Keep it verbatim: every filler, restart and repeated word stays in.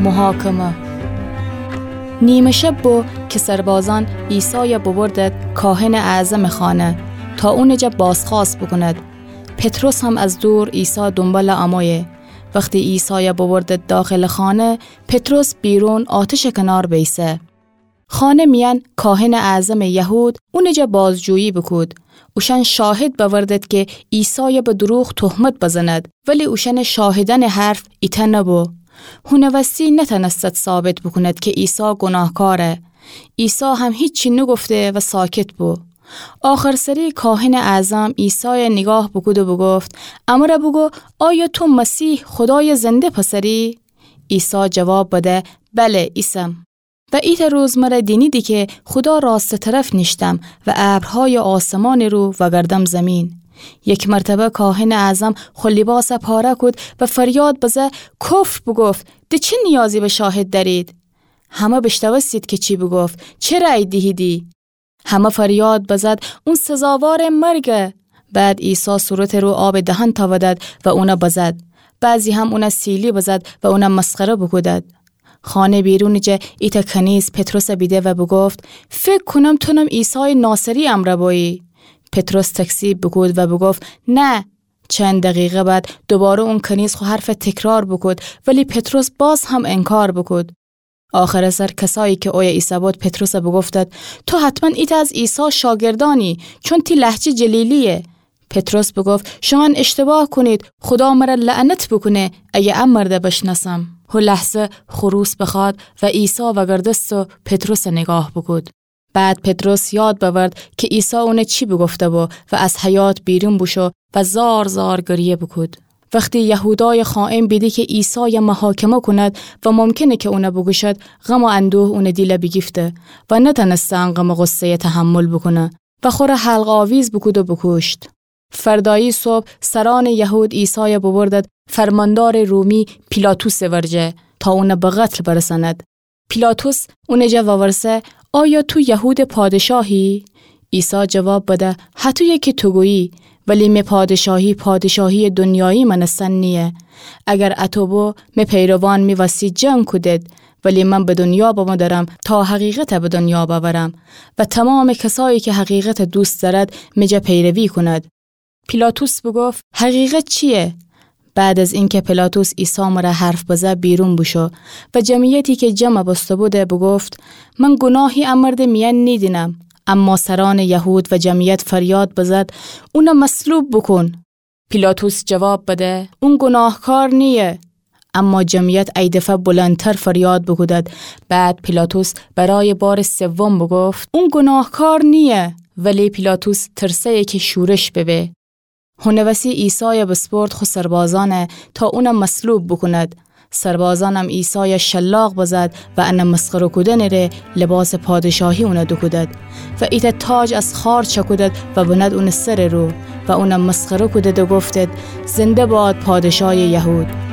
محاکمه. نیمه شب بو که سربازأن عیسای ببردد کاهنٚ اعظمٚ خانه تا اونٚ جا بازخوأست بوکوند. پطرس هم از دور عیسی دونبال امویه. وختی عیسای ببردد داخلٚ خانه، پطرس بیرون آتشٚ کنار بیسه. خانه میأن کاهنٚ اعظمٚ یهود اونٚ جا بازجویی بوکود. اوشأن شاهد بأوردد که عیسای به دروغ تهمت بزند، ولی اوشأنٚ شاهدأنٚ حرف ایتأ نبو. هونه وستی نتأنستد ثابت بوکوند که عیسی گوناهکاره. عیسی هم هیچی نوگفته و ساکت بو. آخرسری کاهنٚ اعظم عیسای نیگاه بوکود و بوگفت: امر بوگو، آیا تو مسیح، خودایٚ زنده پسری؟ عیسی جواب بده: بله، ایسم. و ایتأ روز مر دینیدی که خودا راستٚ طرف نیشتم و ابرهایٚ آسمانٚ رو وگردم زیمین. یک مرتبه کاهنٚ اعظم خو لیباس پاره کود و فریاد بزه: کفر بوگفت، د چه نیازی به شاهد دأرید؟ همه بیشنوستید که چی بوگفت، چه رأی دیهیدی؟ همه فریاد بزد: اون سزاوارٚ مرگه. بعد عیسی صورتٚ رو آبٚ دهن تأودد و اون بزد. بعضی هم اون سیلی بزد و اون مسخره بوکودد. خانه بیرونٚ جا ایتأ کنیز پطرس بیده و بوگفت: فکر کونم تونم عیسایٚ ناصری امر بویی. پطرس تکذیب بوکود و بوگفت: نه. چند دقیقه بعد دوباره اون کنیز خو حرف تکرار بوکود، ولی پطرس باز هم انکار بوکود. آخرٚ سر کسایی که اویه ایسه‌بود پطرس بوگفتد: تو حتماً ایتأ از عیسی شاگردأنی، چون تی لهجه جلیلیه. پطرس بوگفت: شومأن اشتباه کونید، خودا مر لعنت بوکونه اگه ا مرد بشنأسم. هو لحظه خروس بخوأد و عیسی وگردست و پطرس نیگاه بوکود. بعد پطرس یاد بأورد که عیسی اون چی بوگفته‌بو و از حیاط بیرون بوشو و زار زار گریه بوکود. وختی یهودایٚ خائن بیدی که عیسای محاکمه کوند و ممکنه که اون بوکوشد، غم و اندوه اونٚ دیل بیگیفته و نتأنسته ان غم و غصه‌ی تحمل بوکونه و خوره حلق‌آویز بوکود و بوکوشت. فردایی صبح سرأنٚ یهود عیسای ببردد فرماندارٚ رومی پیلاطسٚ ورجه تا اون به قتل برسند. پیلاطس اونٚ جا وورسه: آیا تو یهودٚ پادشاهی؟ عیسی جواب بده: هتویه که تو گویی، ولی می پادشاهی پادشاهیٚ دنیایی مأنستن نییه. اگر اطو بو، می پیروان می وسی جنگ کودید، ولی من به دنیا بمو درم تا حقیقت به دنیا بأورم و تمامٚ کسایی که حقیقت دوست دأرد، می جا پیروی کوند. پیلاطس بوگفت: حقیقت چییه؟ بعد از اینکه پیلاطس عیسی مره حرف بزه، بیرون بوشو و جمعیتی که جمع بوسته‌بوده بوگفت: من گوناهی ا مردٚ میأن نیدینم. اما سرأنٚ یهود و جمعیت فریاد بزد: اون مصلوب بوکون. پیلاطس جواب بده: اون گوناهکار نییه. اما جمعیت ای دفعه بلندتر فریاد بوکودد. بعد پیلاطس برایٚ بارٚ سوم بوگفت: اون گوناهکار نییه. ولی پیلاطس ترسه‌یه که شورش ببه. هونٚ وسی عیسای بسپرد خو سربازأن تا اون مصلوب بوکوند. سربازأنم عیسای شلاق بزد و ان مسخره کودنٚ ره لباسٚ پادشاهی اون دوکودد و ایتأ تاج از خار چأکودد و بند اونٚ سرٚ رو و اون مسخره کودد و گفتد: زنده باد پادشایٚ یهود.